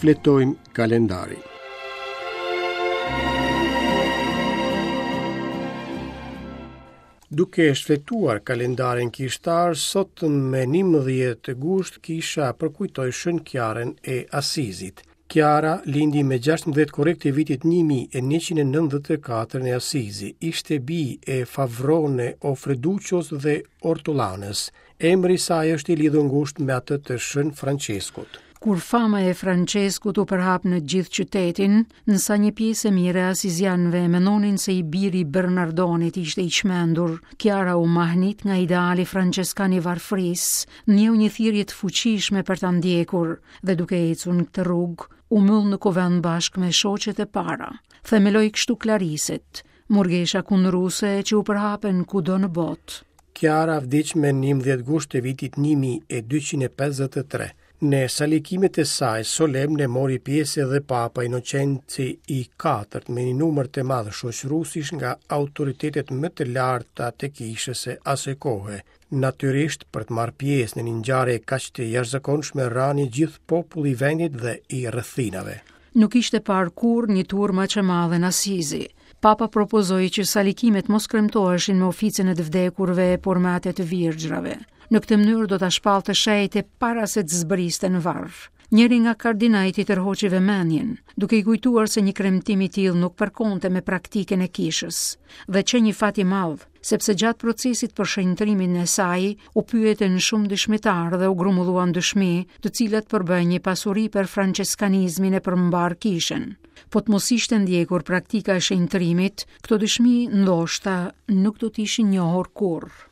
Shfletojmë kalendarin. Duke shfletuar kalendarin kishtar, sot me 11 gusht kisha përkujtoi Shën Kiarën e Asizit. Kiara lindi me 16 korrik të vitit 1194 në Asizi. Ishte bijë e Favrone Offreduccios dhe Ortolanës. Emri i saj është i lidhur ngushtë me atë të Shën Françeskut. Kur fama e Françeskut u përhap në gjithë qytetin, në sa një pjesë e mirë e asizianëve mendonin se i biri i Bernardonit ishte i çmendur, Kiara u mahnit nga ideali françeskan i varfërisë, ndjeu një thirrje të fuqishme për ta ndjekur dhe duke ecur në këtë rrugë, u mbyll në kuvend bashkë me shoqet e para. Themeloi kështu Klariset, murgesha kundruse që u përhapen kudo në botë. Kiara vdiq me 11 gusht të vitit 1253. Në salikimet e saj solemne mori pjesë edhe Papa Inocenci i IV me një numër të madh shoqëruesish nga autoritetet më të larta të kishës së asaj kohe. Natyrisht, për të marrë pjesë në një ngjarje kaq të jashtëzakonshme ranë i gjithë populli i vendit dhe i rrethinave. Nuk ishte parë kurrë një turmë aq e madhe në Asizi. Papa propozoi që salikimet mos kremtoheshin me oficën e të vdekurve, por me atë të virgjërave. Në këtë mënyrë do ta shpallte shenjte para se të zbriste në varr. Njëri nga kardinajt i tërhoqi vëmendjen, duke i kujtuar se një kremtim i tillë nuk përkonte me praktikën e kishës, dhe qe një fat i madh, sepse gjatë procesit për shenjtërimin e saj u pyetën shumë dëshmitarë dhe u grumbulluan dëshmi, të cilat përbëjnë një pasuri për françeskanizmin e për mbarë kishën. Po të mos ishte ndjekur praktika e shenjtërimit, këto dëshmi ndoshta nuk do të ishin njohur kurrë.